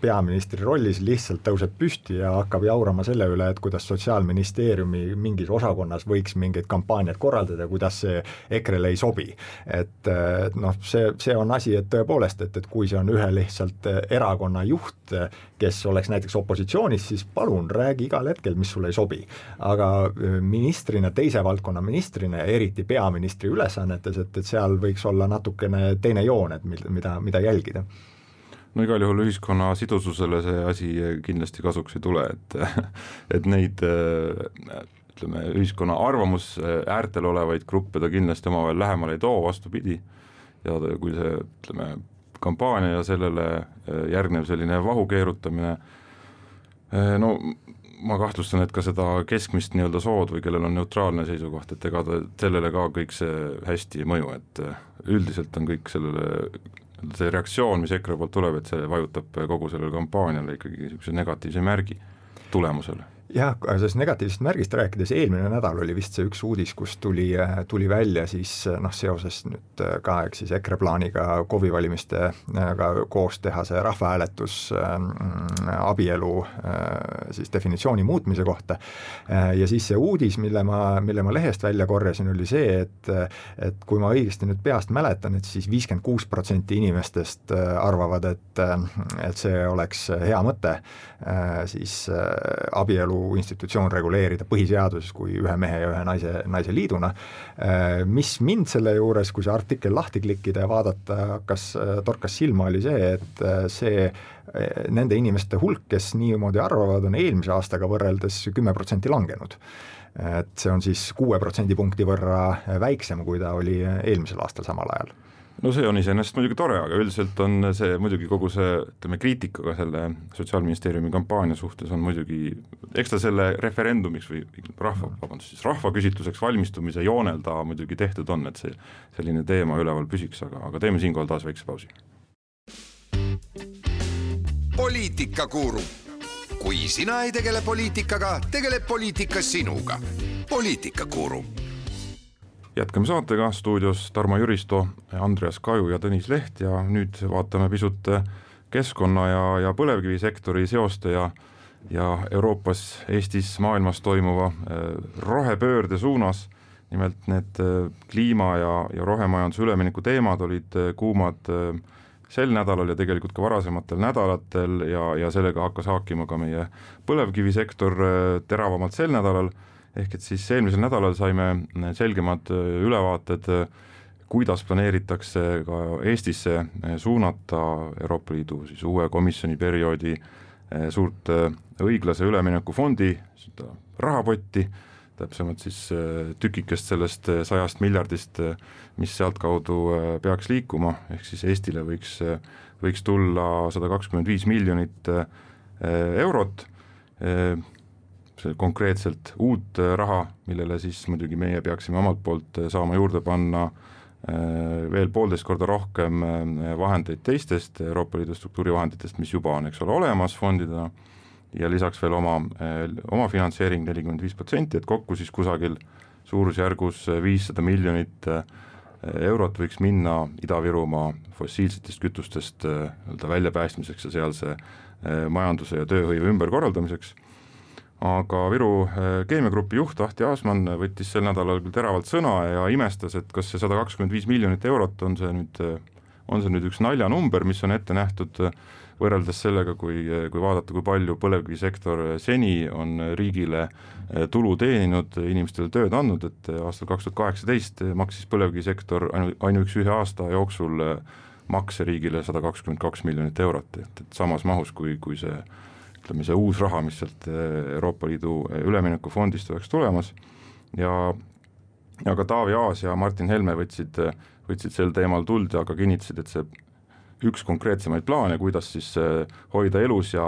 peaministri rollis lihtsalt tõuseb püsti ja hakkab jaurama selle üle, et kuidas Sotsiaalministeeriumi mingis osakonnas võiks mingeid kampaaniaid korraldada, kuidas see EKRE-le ei sobi. Et noh, see, see on asi, et tõepoolest, et, et kui see on ühe lihtsalt erakonna juht, kes oleks näiteks opositsioonis, siis palun räägi igal hetkel, mis sulle ei sobi. Aga ministrina, teise valdkonna ministrina, eriti peaministri ülesannetes, et, et seal võiks olla natukene teine joon, et mida, mida jälgida. No igal juhul ühiskonna sidususele see asi kindlasti kasuks ei tule, et, et neid ütleme, ühiskonna arvamus äärtel olevaid gruppe ta kindlasti omavahel lähemale ei too, vastupidi, ja kui see ütleme, kampaania ja sellele järgnev selline vahu keerutamine, no ma kahtlustan, et ka seda keskmist nii-öelda sood või kellel on neutraalne seisukoht, et ega ta sellele ka kõik see hästi ei mõju, et üldiselt on kõik sellele, see reaktsioon, mis EKRE poolt tuleb, et see vajutab kogu sellele kampaaniale ikkagi niisuguse negatiivse märgi tulemusele. Jah, sellest negatiivsest märgist rääkides, eelmine nädal oli vist see üks uudis, kus tuli, tuli välja siis noh, seoses nüüd ka eks siis EKRE plaaniga K O V I valimistega koos teha see rahvahääletus äh, abielu äh, siis definitsiooni muutmise kohta äh, ja siis see uudis, mille ma, mille ma lehest välja korjasin, oli see, et, et kui ma õigesti nüüd peast mäletan, et siis viiskümmend kuus protsenti inimestest arvavad, et, et see oleks hea mõte äh, siis äh, abielu institutsioon reguleerida põhiseaduses kui ühe mehe ja ühe naise, naise liiduna. Mis mind selle juures, kui see artikkel lahti klikkida ja vaadata, kas torkas silma, oli see, et see nende inimeste hulk, kes niimoodi arvavad, on eelmise aastaga võrreldes kümme protsenti langenud. Et see on siis kuue protsendipunkti võrra väiksem, kui ta oli eelmisel aastal samal ajal. No see on iseenesest muidugi tore, aga üldiselt on see muidugi kogu see, ütleme, kriitikaga selle Sotsiaalministeeriumi kampaania suhtes on muidugi, eks ta selle referendumiks või rahva, vabandust, siis rahvaküsitluseks valmistumise joonel ta muidugi tehtud on, et see selline teema üleval püsiks, aga, aga teeme siinkohal taas väikse pausi. Poliitikakuru. kui sina ei tegele poliitikaga, tegeleb poliitika sinuga. Poliitikakuru. Jätkame saatega, stuudios Tarmo Jüristo, Andreas Kaju ja Tõnis Leht ja nüüd vaatame pisut keskkonna ja, ja põlevkivisektori seoste ja, ja Euroopas, Eestis, maailmas toimuva rohepöörde suunas. Nimelt need kliima ja, ja rohemajanduse ülemineku teemad olid kuumad sel nädalal ja tegelikult ka varasematel nädalatel ja, ja sellega hakkas haakima ka meie põlevkivisektor teravamalt sel nädalal, ehk et siis eelmisel nädalal saime selgemad ülevaated, kuidas planeeritakse ka Eestisse suunata Euroopa Liidu siis uue komisjoni perioodi suurt õiglase ülemineku fondi rahapotti, täpsemalt siis tükikest sellest sajast miljardist, mis sealt kaudu peaks liikuma, ehk siis Eestile võiks, võiks tulla sada kakskümmend viis miljonit eurot, see konkreetselt uut raha, millele siis muidugi meie peaksime omalt poolt saama juurde panna veel poolteist korda rohkem vahendeid teistest Euroopa Liidu struktuurivahenditest, mis juba on, eks ole, olemas fondidena, ja lisaks veel oma, oma finantseering nelikümmend viis protsenti, et kokku siis kusagil suurusjärgus viissada miljonit eurot võiks minna Ida-Virumaa fossiilsetest kütustest väljapäästmiseks ja sealse majanduse ja tööhõive ümberkorraldamiseks. Aga Viru keemiagrupi juht Ahti Aasmann võttis sel nädalal küll teravalt sõna ja imestas, et kas see sada kakskümmend viis miljonit eurot on see nüüd, on see nüüd üks naljanumber, mis on ette nähtud võrreldes sellega, kui, kui vaadata, kui palju põlevkivisektor seni on riigile tulu teeninud, inimestele tööd andnud, et aastal kaks tuhat kaheksateist maksis põlevkivisektor ainu, ainuüksi ühe aasta jooksul makse riigile sada kakskümmend kaks miljonit eurot, et, et samas mahus kui, kui see, ütleme, see uus raha, mis sealt Euroopa Liidu üleminekufondist oleks tulemas ja, ja ka Taavi Aas ja Martin Helme võtsid, võtsid sel teemal tuld ja ka kinnitasid, et see üks konkreetsemaid plaane, kuidas siis hoida elus ja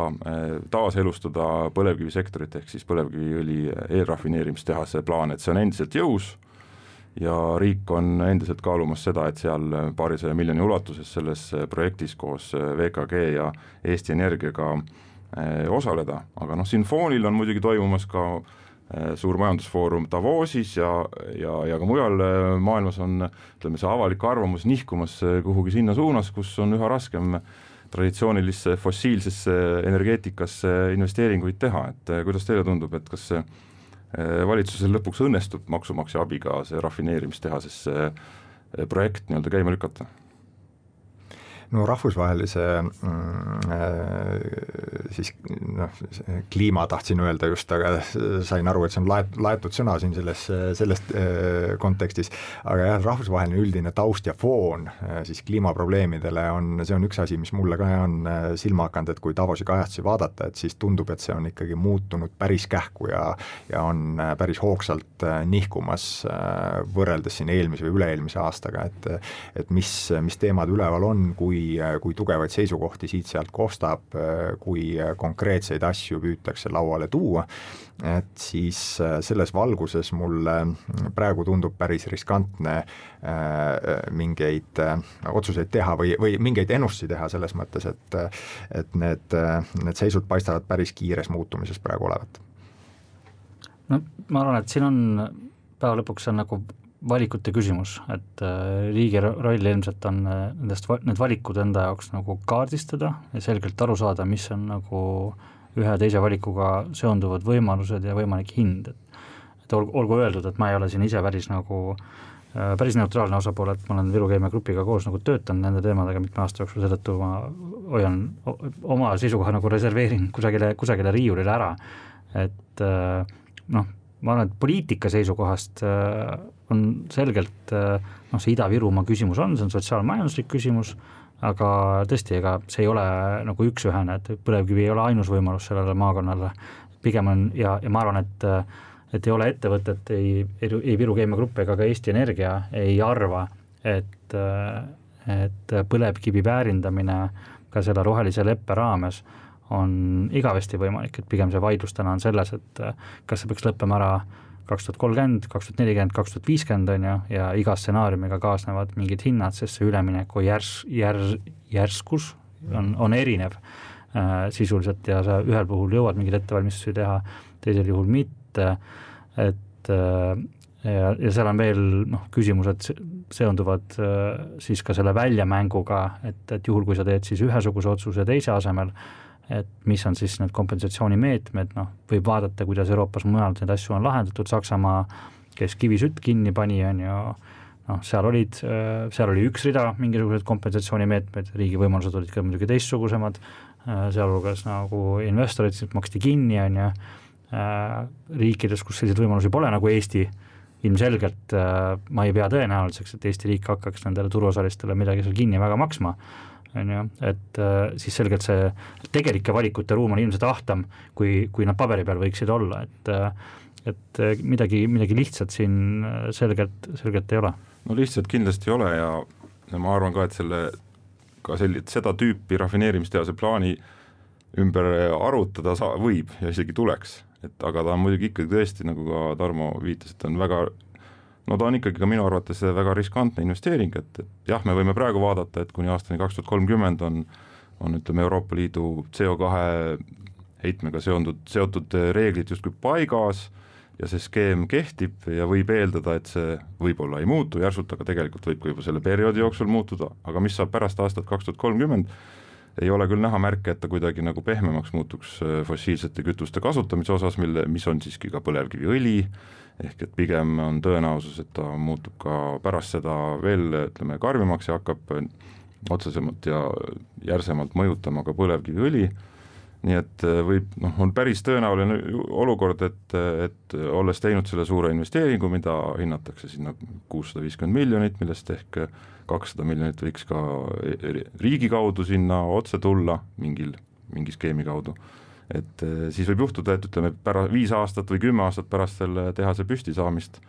taaselustada põlevkivisektorit, ehk siis põlevkiviõli eelrafineerimistehase plaan, et see on endiselt jõus ja riik on endiselt kaalumas seda, et seal paarisaja miljoni ulatuses selles projektis koos V K G ja Eesti Energiaga osaleda, aga noh, siin foonil on muidugi toimumas ka suur majandusfoorum Davosis ja, ja, ja ka mujal maailmas on, ütleme, see avalik arvamus nihkumas kuhugi sinna suunas, kus on üha raskem traditsioonilisse fossiilsesse energeetikasse investeeringuid teha, et kuidas teile tundub, et kas valitsusel lõpuks õnnestub maksumaksja abiga see rafineerimistehasesse projekt nii-öelda käima lükata? No rahvusvahelise siis noh, kliima tahtsin öelda just, aga sain aru, et see on laet, laetud sõna siin selles, sellest kontekstis, aga jah, rahvusvaheline üldine taust ja foon siis kliimaprobleemidele on, see on üks asi, mis mulle ka on silma hakanud, et kui Davosi kajastusi vaadata, et siis tundub, et see on ikkagi muutunud päris kähku ja, ja on päris hoogsalt nihkumas võrreldes siin eelmise või üle-eelmise aastaga, et, et mis, mis teemad üleval on, kui kui tugevaid seisukohti siit-sealt kostab, kui konkreetseid asju püütakse lauale tuua, et siis selles valguses mulle praegu tundub päris riskantne mingeid otsuseid teha või, või mingeid ennustusi teha selles mõttes, et, et need, need seisud paistavad päris kiires muutumises praegu olevat. No ma arvan, et siin on päeva lõpuks on nagu valikute küsimus, et riigi roll ilmselt on nendest, need valikud enda jaoks nagu kaardistada ja selgelt aru saada, mis on nagu ühe teise valikuga seonduvad võimalused ja võimalik hind, et, et olgu öeldud, et ma ei ole siin ise päris nagu päris neutraalne osapool, et ma olen Viru keemiagrupiga koos nagu töötanud nende teemadega mitme aasta jooksul, seetõttu ma hoian oma seisukoha nagu reserveerin kusagile, kusagile riiulile ära, et noh, ma arvan, et poliitika seisukohast on selgelt, noh, see Ida-Virumaa küsimus on, see on sotsiaalmajanduslik küsimus, aga tõesti, ega see ei ole nagu üks-ühene, et põlevkivi ei ole ainus võimalus sellele maakonnale, pigem on, ja, ja ma arvan, et et ei ole ettevõtet, ei, ei Viru keemiagrupp ega ka Eesti Energia ei arva, et, et põlevkivi väärindamine ka selle rohelise leppe raames on igavesti võimalik, et pigem see vaidlus täna on selles, et kas see peaks lõppema ära kaks tuhat kolmkümmend, kaks tuhat nelikümmend, kaks tuhat viiskümmend on ju, ja iga stsenaariumiga kaasnevad mingid hinnad, sest see ülemineku järs, järs, järskus on, on erinev. sisuliselt ja sa ühel puhul jõuad mingeid ettevalmistusi teha, teisel juhul mitte, et ja, ja seal on veel noh, küsimused seonduvad siis ka selle väljamänguga, et, et juhul kui sa teed siis ühesuguse otsuse teise asemel, et mis on siis need kompensatsioonimeetmed, noh, võib vaadata, kuidas Euroopas mujal neid asju on lahendatud, Saksamaa, kes kivisütt kinni pani, on ju, noh, seal olid, seal oli üks rida mingisugused kompensatsioonimeetmed, riigi võimalused olid ka muidugi teistsugusemad, sealhulgas nagu investorid siis maksti kinni, on ju, riikides, kus selliseid võimalusi pole, nagu Eesti, ilmselgelt ma ei pea tõenäoliseks, et Eesti riik hakkaks nendele turuosalistele midagi seal kinni väga maksma, on ju, et siis selgelt see tegelike valikute ruum on ilmselt ahtam, kui, kui nad paberi peal võiksid olla, et, et midagi, midagi lihtsalt siin selgelt, selgelt ei ole. No lihtsalt kindlasti ei ole ja, ja ma arvan ka, et selle ka selli, seda tüüpi rafineerimistehase plaani ümber arutada saa, võib ja isegi tuleks, et aga ta on muidugi ikkagi tõesti, nagu ka Tarmo viitas, et on väga, no ta on ikkagi ka minu arvates väga riskantne investeering, et, et jah, me võime praegu vaadata, et kuni aastani kaks tuhat kolmkümmend on, on ütleme Euroopa Liidu C O kahe heitmega seondud, seotud reeglid justkui paigas ja see skeem kehtib ja võib eeldada, et see võib-olla ei muutu järsult, aga tegelikult võib ka juba selle perioodi jooksul muutuda, aga mis saab pärast aastat kaks tuhat kolmkümmend, ei ole küll näha märke, et ta kuidagi nagu pehmemaks muutuks fossiilsete kütuste kasutamise osas, mille, mis on siiski ka põlevkiviõli, ehk et pigem on tõenäosus, et ta muutub ka pärast seda veel, ütleme, karmimaks ja hakkab otsesemalt ja järsemalt mõjutama ka põlevkiviõli, nii et võib, noh, on päris tõenäoline olukord, et, et olles teinud selle suure investeeringu, mida hinnatakse sinna kuussada viiskümmend miljonit, millest ehk kakssada miljonit võiks ka riigi kaudu sinna otse tulla mingil, mingi skeemi kaudu. Et siis võib juhtuda, et ütleme, pära, viis aastat või kümme aastat pärast selle tehase püsti saamist,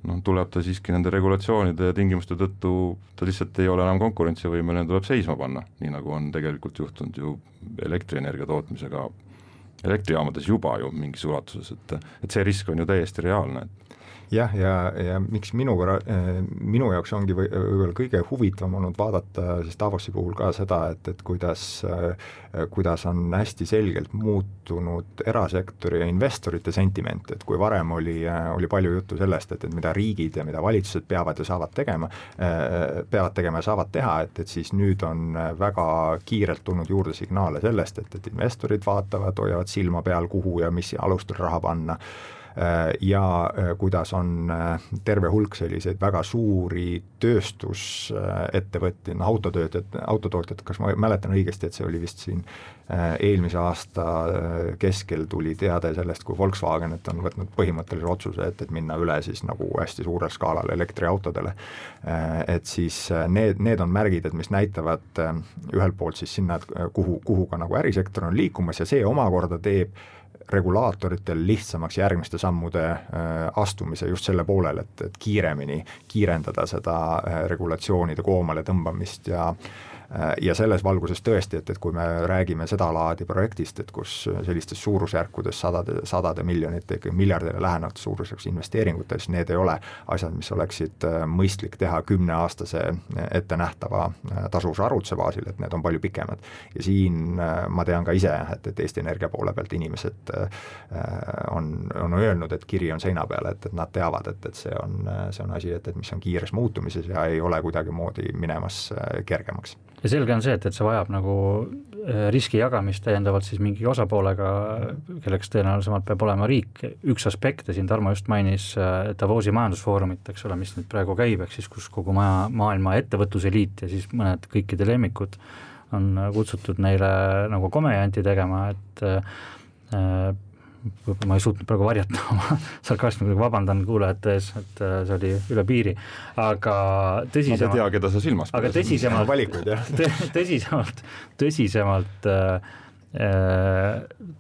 noh, tuleb ta siiski nende regulatsioonide ja tingimuste tõttu, ta lihtsalt ei ole enam konkurentsivõimeline, tuleb seisma panna, nii nagu on tegelikult juhtunud ju elektrienergia tootmisega elektrijaamades juba ju mingis ulatuses, et, et see risk on ju täiesti reaalne, et jah, ja, ja miks minu, minu jaoks ongi või, võib-olla kõige huvitavam olnud vaadata siis Davosi puhul ka seda, et, et kuidas, kuidas on hästi selgelt muutunud erasektori ja investorite sentiment, et kui varem oli, oli palju juttu sellest, et, et mida riigid ja mida valitsused peavad ja saavad tegema, peavad tegema ja saavad teha, et, et siis nüüd on väga kiirelt tulnud juurde signaale sellest, et, et investorid vaatavad, hoiavad silma peal, kuhu ja mis alustel raha panna, ja kuidas on terve hulk selliseid väga suuri tööstusettevõtteid, no autotöötajad, autotootjad, kas ma mäletan õigesti, et see oli vist siin eelmise aasta keskel tuli teade sellest, kui Volkswagen, et on võtnud põhimõttelise otsuse, et, et minna üle siis nagu hästi suurel skaalal elektriautodele, et siis need, need on märgid, et mis näitavad ühelt poolt siis sinna, kuhu, kuhu ka nagu ärisektor on liikumas ja see omakorda teeb regulaatoritel lihtsamaks järgmiste sammude astumise just selle poolel, et, et kiiremini kiirendada seda regulatsioonide koomale tõmbamist ja ja selles valguses tõesti, et, et kui me räägime seda laadi projektist, et kus sellistes suurusjärkudes sadade, sadade miljonite, miljardile lähenevad suurusjärgus investeeringutes, need ei ole asjad, mis oleksid mõistlik teha kümneaastase ettenähtava tasuvuse arvutuse baasil, et need on palju pikemad. Ja siin ma tean ka ise, et, et Eesti Energia poole pealt inimesed on, on öelnud, et kiri on seina peal, et, et nad teavad, et, et see on, see on asi, et, et mis on kiires muutumises ja ei ole kuidagi moodi minemas kergemaks. Ja selge on see, et, et see vajab nagu riski jagamist täiendavalt siis mingi osapoolega, kelleks tõenäolisemalt peab olema riik. Üks aspekt, ja siin Tarmo just mainis Davosi majandusfoorumit, eks ole, mis nüüd praegu käib, eks siis kus kogu maja, maailma ettevõtluse liit ja siis mõned kõikide lemmikud on kutsutud neile nagu komejanti tegema, et äh, ma ei suutnud praegu varjata oma sarkasmi, vabandan kuulajate ees, et see oli üle piiri, aga tõsisemalt, ma ei tea, keda sa silmas aga tõsisemalt, valikuid, tõsisemalt, tõsisemalt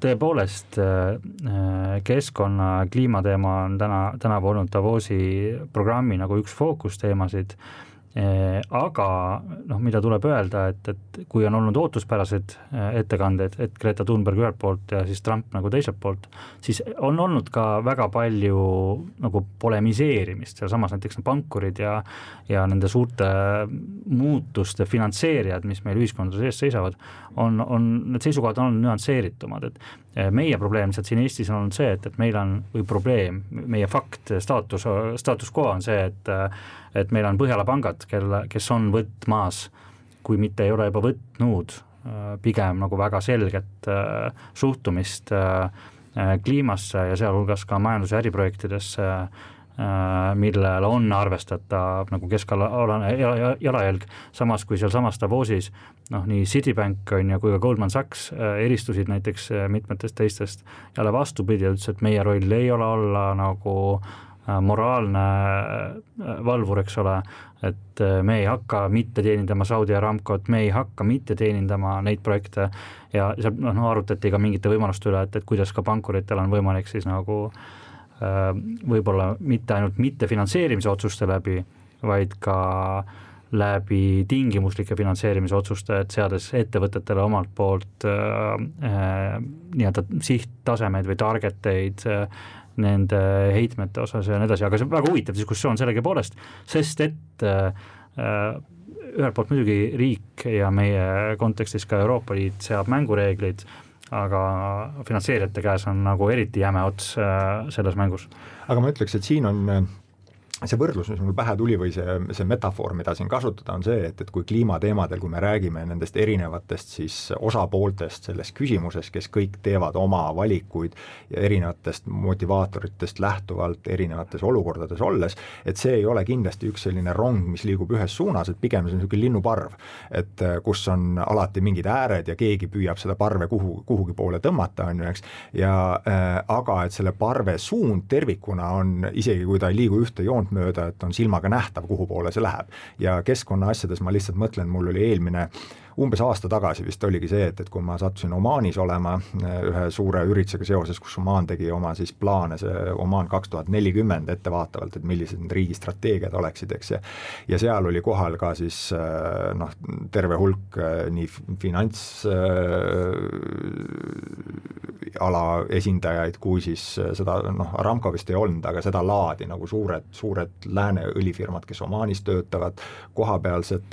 tõepoolest keskkonna kliimateema on täna, tänavu olnud Davosi programmi nagu üks fookusteemasid aga noh, mida tuleb öelda, et, et kui on olnud ootuspärased ettekanded, et Greta Thunberg ühelt poolt ja siis Trump nagu teiselt poolt, siis on olnud ka väga palju nagu polemiseerimist, seal samas näiteks pankurid ja, ja nende suurte muutuste finantseerijad, mis meil ühiskondades ees seisavad, on, on, need seisukohad on nüansseeritumad, et meie probleem lihtsalt siin Eestis on olnud see, et, et meil on, või probleem, meie fakt, staatus, staatus quo on see, et et meil on Põhjala pangad, kelle, kes on võtmas, kui mitte ei ole juba võtnud, pigem nagu väga selget suhtumist kliimasse ja sealhulgas ka majandus- ja äriprojektidesse, millel on arvestatav nagu keskalane jalajälg, samas kui seal samas Davosis noh, nii Citibank on ja kui ka Goldman Sachs eristusid näiteks mitmetest teistest, jälle vastupidi, ütles, et meie roll ei ole olla nagu moraalne valvur, eks ole, et me ei hakka mitte teenindama Saudi Aramcot, me ei hakka mitte teenindama neid projekte ja seal noh, arutati ka mingite võimaluste üle, et, et kuidas ka pankuritel on võimalik siis nagu võib-olla mitte ainult mitte finantseerimise otsuste läbi, vaid ka läbi tingimuslike finantseerimise otsuste, et seades ettevõtetele omalt poolt äh, äh, nii-öelda sihttasemeid või targeteid äh, nende heitmete osas ja nii edasi, aga see on väga huvitav diskussioon sellegi poolest, sest et äh, ühelt poolt muidugi riik ja meie kontekstis ka Euroopa Liit seab mängureeglid, aga finantseerijate käes on nagu eriti jäme ots äh, selles mängus. Aga ma ütleks, et siin on see võrdlus, mis mul pähe tuli või see, see metafoor, mida siin kasutada, on see, et, et kui kliimateemadel, kui me räägime nendest erinevatest siis osapooltest selles küsimuses, kes kõik teevad oma valikuid ja erinevatest motivaatoritest lähtuvalt erinevates olukordades olles, et see ei ole kindlasti üks selline rong, mis liigub ühes suunas, et pigem see on niisugune linnuparv, et kus on alati mingid ääred ja keegi püüab seda parve kuhu, kuhugi poole tõmmata, on ju, eks, ja äh, aga et selle parve suund tervikuna on, isegi kui ta ei liigu ühte joont mööda, et on silmaga nähtav, kuhu poole see läheb. Ja keskkonna asjades ma lihtsalt mõtlen, mul oli eelmine umbes aasta tagasi vist oligi see, et, et kui ma sattusin Omaanis olema ühe suure üritusega seoses, kus Omaan tegi oma siis plaane, see Omaan kaks tuhat nelikümmend ettevaatavalt, et millised need riigi strateegiad oleksid, eks, ja, ja seal oli kohal ka siis noh, terve hulk nii finants ala esindajaid, kui siis seda, noh, Aramco vist ei olnud, aga seda laadi nagu suured, suured lääne õlifirmad, kes Omaanis töötavad, kohapealsed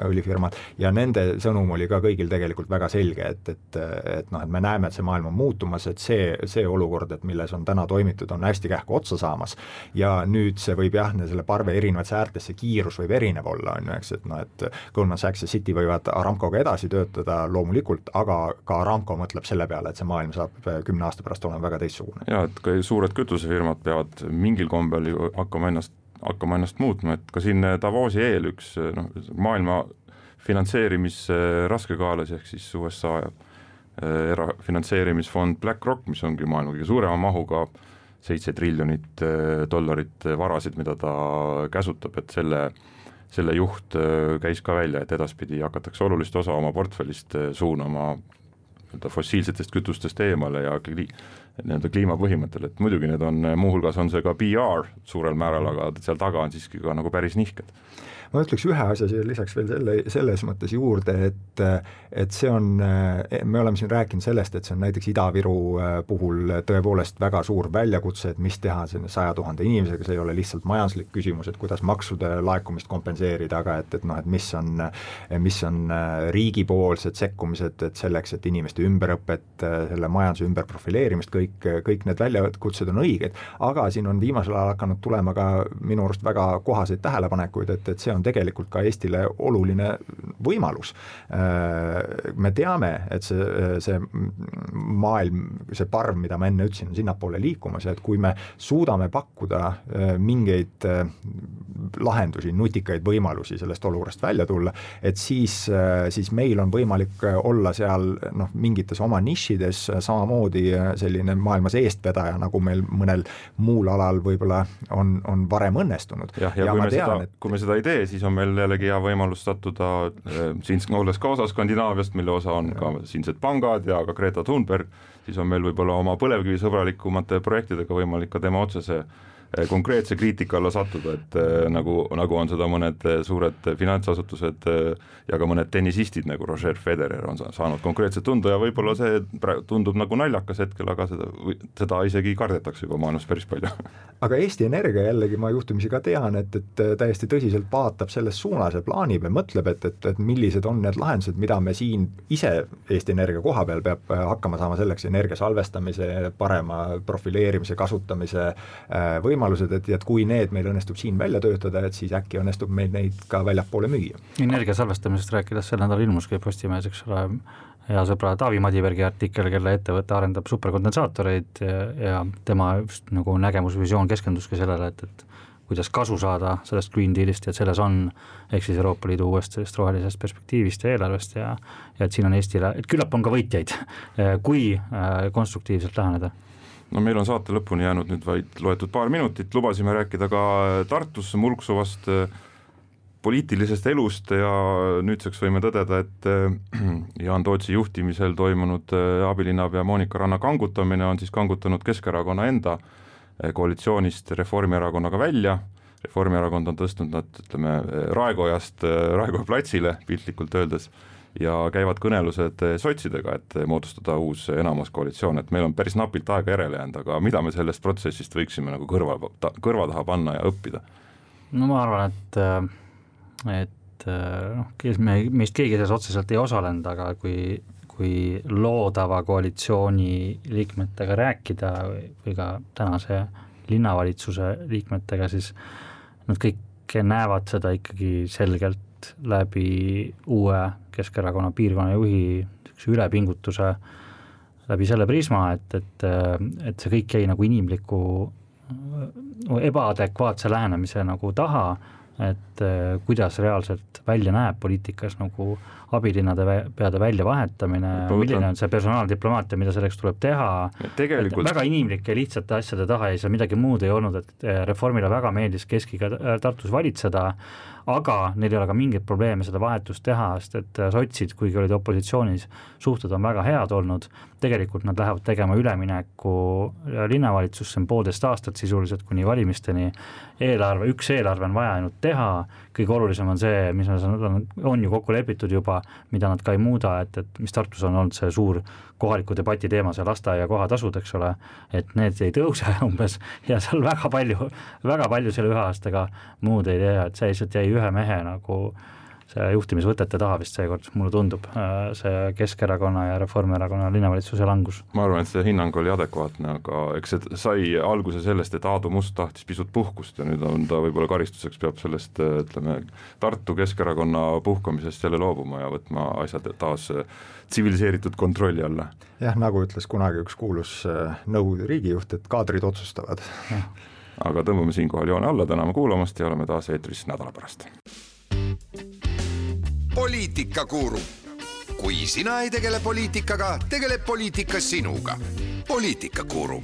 õlifirmad ja nende sõnum oli ka kõigil tegelikult väga selge, et, et, et, noh, et me näeme, et see maailm on muutumas, et see, see olukord, et milles on täna toimitud, on hästi kähku otsa saamas ja nüüd see võib jah, selle parve erinevates äärtes, see kiirus võib erinev olla, on ju, eks, et noh, et Goldman Sachs ja Citi võivad Aramcoga edasi töötada loomulikult, aga ka Aramco mõtleb selle peale, et see maailm saab kümne aasta pärast olema väga teistsugune. Ja, et ka suured kütusefirmad peavad mingil kombel ju hakkama ennast, hakkama ennast muutma, et ka siin Davosi eel üks noh, maailma finantseerimise raskekaalas ehk siis U S A erafinantseerimisfond BlackRock, mis ongi maailma kõige suurema mahuga seitse triljonit dollarit varasid, mida ta käsutab, et selle, selle juht käis ka välja, et edaspidi hakatakse olulist osa oma portfellist suunama fossiilsetest kütustest eemale ja nii-öelda kliimapõhimõttel, et muidugi need on, muuhulgas on see ka P R suurel määral, aga seal taga on siiski ka nagu päris nihked. Ma ütleks ühe asja siia lisaks veel selle, selles mõttes juurde, et, et see on, me oleme siin rääkinud sellest, et see on näiteks Ida-Viru puhul tõepoolest väga suur väljakutse, et mis teha selle saja tuhande inimesega, see ei ole lihtsalt majanduslik küsimus, et kuidas maksude laekumist kompenseerida, aga et, et noh, et mis on, mis on riigipoolsed sekkumised, et selleks, et inimeste ümberõpet, selle majanduse ümberprofileerimist, kõik, kõik need väljakutsed on õiged, aga siin on viimasel ajal hakanud tulema ka minu arust väga kohaseid tähelepanekuid, et, et see on tegelikult ka Eestile oluline võimalus. Me teame, et see, see maailm, see parv, mida ma enne ütlesin, on sinnapoole liikumas ja et kui me suudame pakkuda mingeid lahendusi, nutikaid võimalusi sellest olukorrast välja tulla, et siis, siis meil on võimalik olla seal noh, mingites oma nišides samamoodi selline maailmas eestvedaja, nagu meil mõnel muul alal võib-olla on, on varem õnnestunud. Ja, ja, ja kui, me tean, seda, et... kui me seda ei tee, siis on meil jällegi hea võimalus sattuda siin olles ka osa Skandinaaviast, mille osa on ka siinsed pangad ja ka Greta Thunberg, siis on meil võib-olla oma põlevkivisõbralikumate projektidega võimalik ka tema otsese konkreetse kriitika alla sattuda, et nagu, nagu on seda mõned suured finantsasutused ja ka mõned tennisistid nagu Roger Federer on saanud konkreetselt tunda ja võib-olla see tundub nagu naljakas hetkel, aga seda, seda isegi kardetakse juba maailmas päris palju. Aga Eesti Energia jällegi ma juhtumisi ka tean, et, et täiesti tõsiselt vaatab selles suunas ja plaanib ja mõtleb, et, et, et millised on need lahendused, mida me siin ise Eesti Energia koha peal peab hakkama saama selleks energia salvestamise, parema profileerimise, kasutamise võimalused, võimalused, et, et kui need meil õnnestub siin välja töötada, et siis äkki õnnestub meil neid ka väljapoole müüa. Energia salvestamisest rääkides sel nädal ilmuski Postimehes, eks ole, hea sõbra Taavi Madibergi artikkel, kelle ettevõte arendab superkondensaatoreid ja, ja tema just nagu nägemusvisioon keskenduski sellele, et, et kuidas kasu saada sellest Green Dealist ja et selles on ehk siis Euroopa Liidu uuest sellest rohelisest perspektiivist ja eelarvest ja, ja et siin on Eestile, et küllap on ka võitjaid, kui konstruktiivselt läheneda. No meil on saate lõpuni jäänud nüüd vaid loetud paar minutit, lubasime rääkida ka Tartus mulksuvast poliitilisest elust ja nüüdseks võime tõdeda, et Jaan Tootsi juhtimisel toimunud abilinnapea Monika Ranna kangutamine on siis kangutanud Keskerakonna enda koalitsioonist Reformierakonnaga välja. Reformierakond on tõstnud nad, ütleme, Raekojast Raekoja platsile piltlikult öeldes ja käivad kõnelused sotsidega, et moodustada uus enamuskoalitsioon, et meil on päris napilt aega järele jäänud, aga mida me sellest protsessist võiksime nagu kõrva, kõrva taha panna ja õppida? No ma arvan, et, et noh, me, meist keegi selles otseselt ei osalenud, aga kui, kui loodava koalitsiooni liikmetega rääkida või ka tänase linnavalitsuse liikmetega, siis nad kõik näevad seda ikkagi selgelt läbi uue Keskerakonna piirkonna juhi ülepingutuse läbi selle prisma, et, et, et see kõik jäi nagu inimliku ebaadekvaatse lähenemise nagu taha, et kuidas reaalselt välja näeb poliitikas nagu abilinnade peade välja vahetamine, milline on see personaaldiplomaatia, mida selleks tuleb teha, tegelikult... väga inimlike lihtsate asjade taha ei saa midagi muud ei olnud, et Reformile väga meeldis keskiga Tartus valitseda, aga neil ei ole ka mingit probleeme seda vahetust teha, sest et sotsid, kuigi olid opositsioonis, suhted on väga head olnud, tegelikult nad lähevad tegema ülemineku linnavalitsusse poolteist aastat sisuliselt kuni valimisteni, eelarve, üks eelarve on vaja ainult teha, kõige olulisem on see, mis on, on ju kokku lepitud juba, mida nad ka ei muuda, et, et mis Tartus on olnud see suur kohaliku debati teema, see lasteaia kohatasud, eks ole, et need ei tõuse umbes ja seal väga palju, väga palju selle ühe aastaga muud ei tea, et see lihtsalt jäi ühe mehe nagu see juhtimisvõtete taha vist seekord, mulle tundub, see Keskerakonna ja Reformierakonna linnavalitsuse langus. Ma arvan, et see hinnang oli adekvaatne, aga eks see sai alguse sellest, et Aadu Must tahtis pisut puhkust ja nüüd on ta võib-olla karistuseks peab sellest, ütleme, Tartu Keskerakonna puhkamisest jälle loobuma ja võtma asjad taas tsiviliseeritud kontrolli alla. Jah, nagu ütles kunagi üks kuulus Nõukogude riigijuht, et kaadrid otsustavad. Aga tõmbame siinkohal joone alla, täname kuulamast ja oleme taas eetris nädala pärast. Poliitikakuru. Kui sina ei tegele poliitikaga, tegeleb poliitika sinuga. Poliitikakuru.